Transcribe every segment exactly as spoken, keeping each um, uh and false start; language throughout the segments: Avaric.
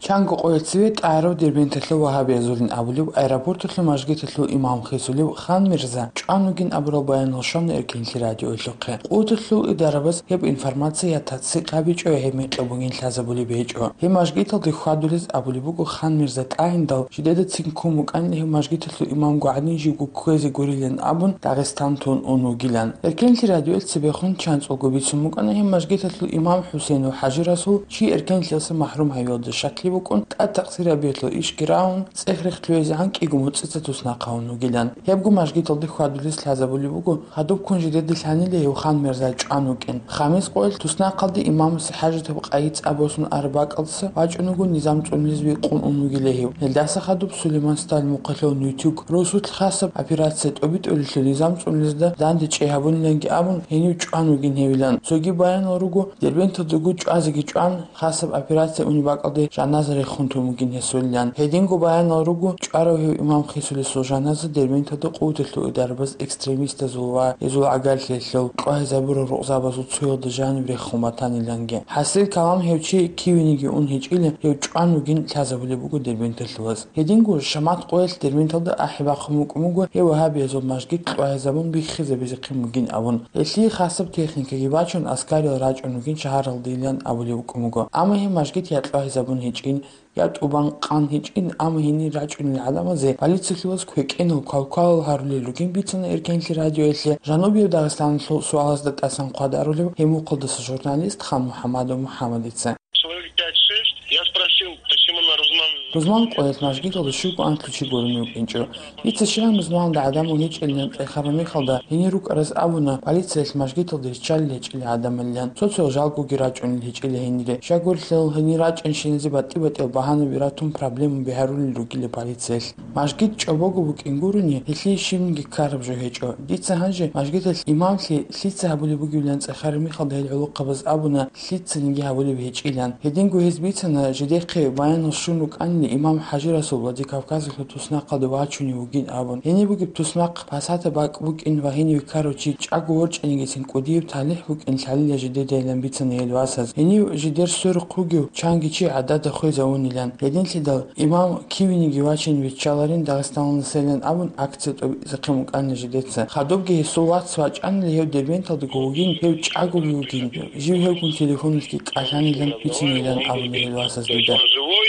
Чанго къоялъ цеве тӀагӀарав Дербенталъул вагьабиязулин абулеб аэропорталъул мажгиталъул имам хисулев Хан Мирза чӀван вугин абурал баянал щвана Эркенлъи радиоялъухъе. Къуваталъул идарабаз гьеб информация я тасдикъ гьабичӀо, я гьеб мекъи бугин лъазабулеб гьечӀо. Гьеб мажгиталде хьвадулез абулеб буго Хан Мирза тӀагӀиндал жидеда цин ккун букӀанила гьев мажгиталъул имамго гӀадин живго кквезе гурилан абун Дагъистан тун ун вугилан. Эркенлъи радиоялъ цебехун чанцӀулго бицун букӀана гьеб мажгиталъул имам ХӀусейнов ХӀажи-Расул чи Эркенлъиялдаса махӀрум гьавиялда щаклъи букӀун, тӀад такъсир гьабиялъул ишги рагьун, цӀех-рех лъугӀизегӀан кӀиго муцӀица туснахъ гьавун вугилан. Гьебго мажгиталде хьвадулез лъазабулеб буго, гьадуб ккун жидеда лъанила гьев Хан Мирза чӀван вукӀин. Хамис къоялъ туснахъалде имамасе хӀажатаб къайи цӀа босун араб бакӀалдаса вачӀун вуго низам цӀунулез викъун ун вугила гьев. Гьелдаса хадуб Сулейман Сталин мухъалъул Нютюг росулъ хасаб операция тӀобитӀулелъул низам цӀунулезда данде чӀей гьабуниланги абун, гьенив чӀван вугин гьевилан. Цоги баянал руго, Дербенталдаго чӀвазеги чӀван, хасаб операция унеб бакӀалде жаназа рехун тун вугин гьесулилан. Гьединго баянал руго, чӀварав гьев имам хисулесул жаназа Дербенталда къуваталъул идарабаз экстремистазул ва гьезул гӀагарлъиялъул кьвагьизабурал рукъзабазул цоялда жаниб рехун батаниланги. ХӀасил калам, гьев чи кивениги ун гьечӀила, гьев чӀван вугин лъазабулеб буго Дербенталъулаз. Гьединго Шамат къоялъ Дербенталда ахӀи бахъун букӀун буго, гьев вагьабиязул мажгит кьвагьизабун биххизабизехъин бугин абун. Гьелъие хасаб техникаги бачун, аскариял рачӀун вугин шагьаралдейилан абулеб букӀун буго. Амма гьеб мажгит я кьвагьизабун гьечӀин, я тӀубан къан гьечӀин, амма гьенир рачӀунел гӀадамазе полициялъулаз квекӀенал квалквалал гьарулел ругин бицана Эркенлъи радиоялъе Жанубияб Дагъистаналъул суалазда тӀасан хъвадарулев гьеб мухъалдаса журналист Хан МухӀамадов МухӀамадица. Человек пять-шесть. Я спросил, почему на Рузман... Рузман къоялъ мажгиталда щуго анлъго чи гурони вукӀинчӀо. Дица щибан Рузманалда гӀадамал гьечӀилан кьерхараб мехалда, гьенир рукӀараз абуна, полициялъ мажгиталда риччалел гьечӀила гӀадамалилан. Цо-цоял жалгоги рачӀунел гьечӀила гьенире. Щай гурелъул, гьенир рачӀанщиназе батӀи-батӀиял багьанаби ратун проблемаби гьарулел ругила полициялъ. Мажгит чӀобого букӀин гурони, гьелъие щибниги ккараб жо гьечӀо. Дица гьанже мажгиталъ имамлъи лъица гьабулеб бугебилан кьерхараб мехалда гьел гӀолохъабаз абуна, лъицаниги гьабулеб гьечӀилан. Гьединго гьез бицана, жидехъе баянал щун рукӀанила имам ХӀажи-Расул Владикавказалъул туснахъалде вачунев вугин абун. Гьениб бугеб туснахъ пасатаб бакӀ букӀин ва гьенив ккарав чи чӀаго ворчӀанигицин кӀудияб талихӀ букӀин лъалила жидедайилан бицана гьел васаз. Гьенив жидер сверухъ вугев чанги чи гӀадада хвезавунилан. Гьединлъидал имам кивениги вачине биччаларин Дагъистаналдасайилан абун акция тӀобитӀизехъин букӀана жидеца. Хадубги гьесул вац вачӀанила гьев Дербенталдаго вугин, гьев чӀагоги вугин, жив гьевгун телефоналъги кӀалъанилан бицинилан абуна гьел васаз дида. Живой,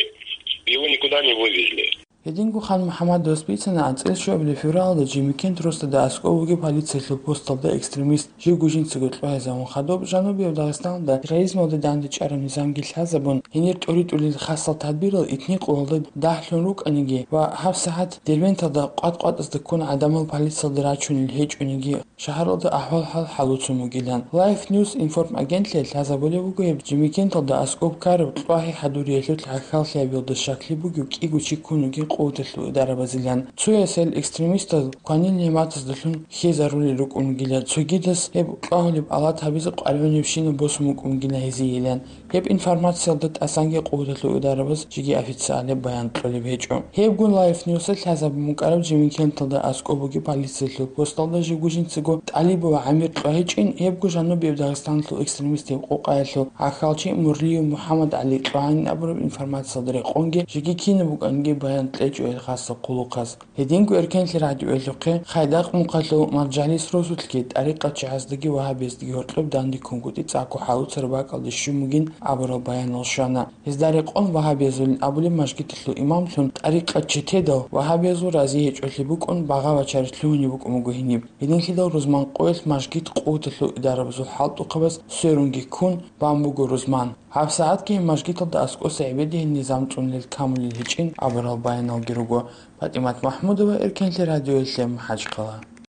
его никуда не вывезли. Гьединго Хан МухӀамадовас бицана анцӀила щуабилеб февралда Жемикент росдада аскӀов вугеб полициялъул посталда экстремист живго жинцаго кьвагьизавун хадуб Жанубияб Дагъистаналда терроризмалда дандечӀараб низамги лъазабун, гьенир тӀоритӀулел хасал тадбирал итни къоялда дагьлъун рукӀаниги ва гьабсагӀат Дербенталда къват-къватӀазда ккун гӀадамал полициялда рачунел гьечӀониги, шагьаралда ахӀвал-хӀал хӀалуцун вугилан. Life News информагентлъи лъазабулеб буго гьеб Жемикенталда аскӀоб ккараб кьвагьи хӀадуриялъул гӀахьаллъиябилда щаклъи бугев кӀиго чи ккун вугин къуваталъул идарабазилан. Цоясел экстремистал кванил нигӀматаздалъун хьезарулел рукӀун вугилан, цогидас гьеб кьвагьулеб алат гьабизе къваригӀунебщинаб босун букӀун вугилан гьезиейилан. Гьеб информациялда тӀасанги къуваталъул идарабаз жеги официальный баян кьолеб гьечӀо. Гьебгун Life News-а лъазабун букӀараб Жемикенталда аскӀоб бугеб полициялъул посталда живго жинцаго ТӀалибова ГӀамир кьвагьичӀин, гьебго Жанубияб Дагъистаналъул экстремистияб къокъаялъул гӀахьалчи Мурлиев МухӀаммад ГӀали кьвагьанин абураб информациялда рекъонги жеги кинаб букӀанги баян кьечӀо гьел хасаб хъулухъаз. Гьединго Эркенлъи радиоялъухъе Хайдакъ мухъалъул Маржалис росулъги тӀарикъатчигӀаздаги вагьабияздаги гьоркьоб дандеккунгутӀи цӀакъго хӀалуцараб бакӀалде щун бугин абурал баянал щвана. Гьезда рекъон вагьабиязулин абулеб мажгиталъул имамлъун тӀарикъатчи тедал вагьабиязул рази гьечӀолъи букӀун багъа-бачарилъ лъугьунеб букӀун буго гьениб. Гьединлъидал Рузман къоялъ мажгит къуваталъул идарабазул хӀалтӀухъабаз сверунги ккун бан буго Рузман. ГьабсагӀатги гьеб мажгиталда аскӀоса гӀебеде гьел низам цӀунулел камулел гьечӀин абурал баяналги руго. ПатӀимат МахӀмудова, Эркенлъи радиоялъе, МахӀачхъала.